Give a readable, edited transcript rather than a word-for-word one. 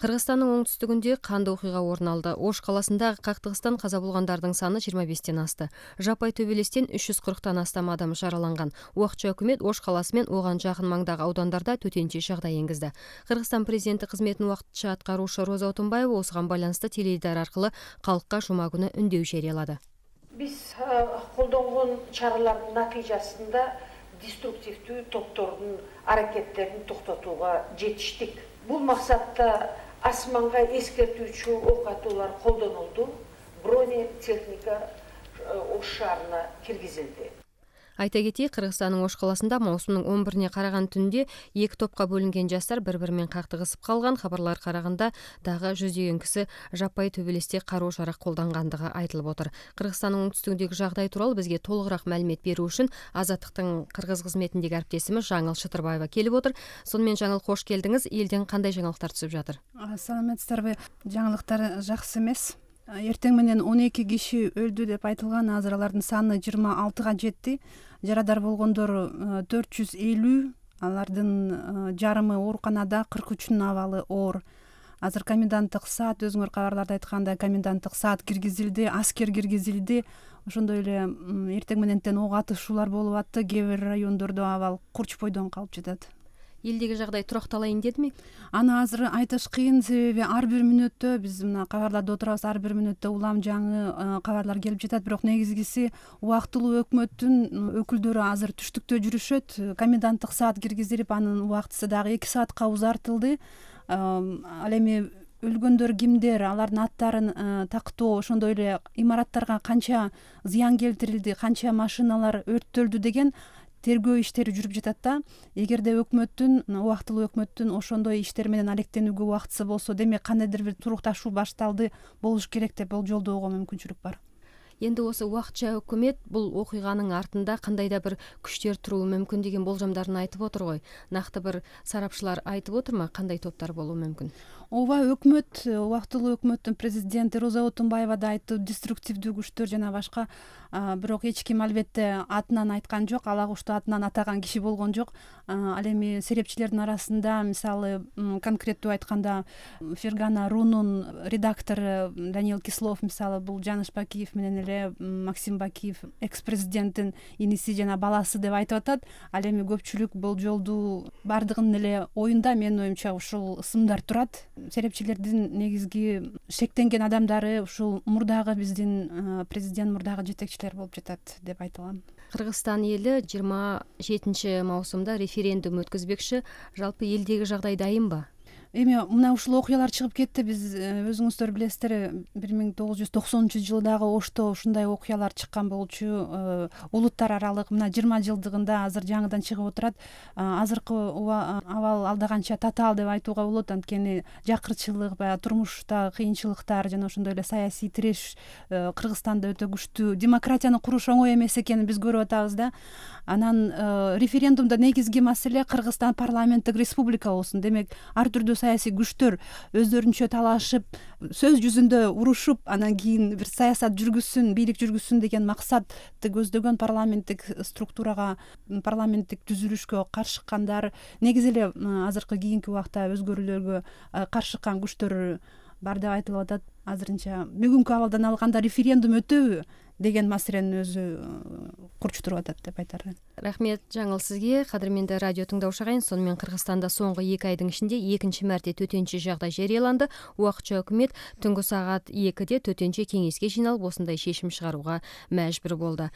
Кыргызстандын оңтүстүгүндө кандуу окуйга орун алды. Ош каласындагы кактыгыстан каза болгондордун саны 25тен асты. Жапай төбелестен 340тан астам адам жараланган. Убакча өкмөт Ош каласы менен ого жакын маңдагы аудандарда төтенчө жагдай энгизди. Кыргызстан президенти кызметін убактыча аткаруучу Роза Отунбаева осуга байланыштуу теледидар аркылуу калкка жума күнү үндөө жарыялады. Биз колдонгон чаралардын натыйжасында деструктивдүү топтордун аракеттерин токтотууга жетиштик. Бул максатта асманга эскертүүчү ок атуулар колдонулду. Бронетехника Ош шаарына киргизилди. Айта кетейик, Кыргызстандын Ош каласында маусумдун 11-ине караган түндө 2 топко бөлүнгөн жаштар бири-бири менен кактыгысып калган. Кабарларга караганда дагы жүздөгөн киши жаппай төбелесте каруу жарак колдонгандыгы айтылып отур. Кыргызстандын оңтүстүгүндөгү жагдай тууралуу бизге толугураак маалымат берүү үчүн Азаттыктын кыргыз кызметиндеги әріптесimiz Жаңыл Шытырбаева келип отур. Сонун менен Жаңыл, кош келдиңиз. Элден кандай жаңылыктар түшүп жатыр? Саламатсыздарбы? Жаңылыктар жакшы эмес. Эртең менен 12 киши өлдү деп айтылган. Азыр алардын саны 26га жетти. Жарадар болгондор 450, алардын жарымы ооруканада, 43-үнүн абалы оор. Азыр коменданттык саат, өзүңөр кабарларда айткандай, коменданттык саат киргизилди, аскер киргизилди. Ошондой эле эртең мененден ок атышуулар болуп атты. Кээ бир райондордо абал курчпойдон калып жатат. Элдеги жагдай турукталайын дедими? Аны азыр айтыш кыйын, себеби ар бир мүнөттө биз мына кабарларда отурабыз, ар бир мүнөттө улам жаңы кабарлар келип жатат. Бирок негизгиси убактылуу өкмөттүн өкүлдөрү азыр түштүктө жүрүшөт. Коменданттык саат киргизилип, анын убактысы дагы 2 саатка узартылды. Ал эми өлгөндөр кимдер, алардын аттарын тактоо, ошондой эле имараттарга канча зыян келтирилди, канча машиналар өрттөлдү деген тергөө иштери жүрүп жатат да. Эгерде убактылуу өкмөттүн ошондой иштер менен алектенүүгө убактысы болсо, демек кандайдыр бир турукташуу башталды болуш керек деп болжолдоого мүмкүнчүлүк бар. Энди осы убакча өкмөт бул окуйганын артында кандайда бир күчтөр туруу мүмкүн деген болжомдорун айтып отур го. Накты бир сарапчылар айтып отурбу, кандай топтор болуу мүмкүн? Ооба, өкмөт, убактылуу өкмөттүн президенти Роза Отунбаева да айтты, деструктивдүү күчтөр жана башка. Бирок эч ким албетте атынан айткан жок, ала кушту атынан атаган киши болгон жок. Ал эми серепчилердин арасында, мисалы, конкреттүү айтканда, Фергана Рунун редактору Даниил Кислов, мисалы, бул Жаныш Бакиев менен эле Максим Бакиев экс-президенттин иниси жана баласы деп айтып атат. Ал эми көпчүлүк болжолдуу бардыгынын эле оюнда, менин оюмча, ушул сымдар турат. Серепчилердин негизги шектенген адамдары ушул мурдагы биздин президент, мурдагы жетекчилер болуп жатат деп айтылам. Кыргызстан эли 27 маусумда референдум өткөзбекчи. Жалпы элдеги жагдай дайынбы? Эми мына ушул окуялар чыгып кетти. Биз өзүңүздөр билесиздер, 1990 жылдагы Ошто ушундай окуялар чыккан болчу. Улуттар аралык мына 20 жылдыгында азыр жаңыдан чыгып отурат. Азыркы абал алдаганча татаал деп айтууга болот, анткени жакырчылык, баягы турмушта кыйынчылыктар жана ошондой эле саясий тиреш Кыргызстанда өтө күчтүү. Демократияны куруш оңой эмес экенин биз көрүп атабыз да. Анан референдумда негизги маселе Кыргызстан парламенттик республика болсун. Демек, ар түрдүү саясий күчтөр өздөрүнчө талашып, сөз жүзүндө урушуп, анан кийин бир саясат жүргүзсүн, бийлик жүргүзсүн деген максатты көздөгөн парламенттик структурага, парламенттик түзүлүшкө каршы чыккандар, негизи эле азыркы кийинки убакта өзгөрүүлөргө каршы чыккан күчтөр бар деп айтылып атат. Азырынча бүгүнкү абалдан алганда референдум өтөбү деген маселенин өзү курчтуруп атат деп айтар. Рахмет Жаңыл сизге. Кадырменде радио тыңдоочу агайын, сонун менен Кыргызстанда соңку 2 айдын ичинде 2-нчи мәрте төтенчө жагдай жарыяланды. Убакча өкмөт түнгү саат 2-де төтенчө кеңеске жыйналып, осундай чечим чыгарууга мажбур болду.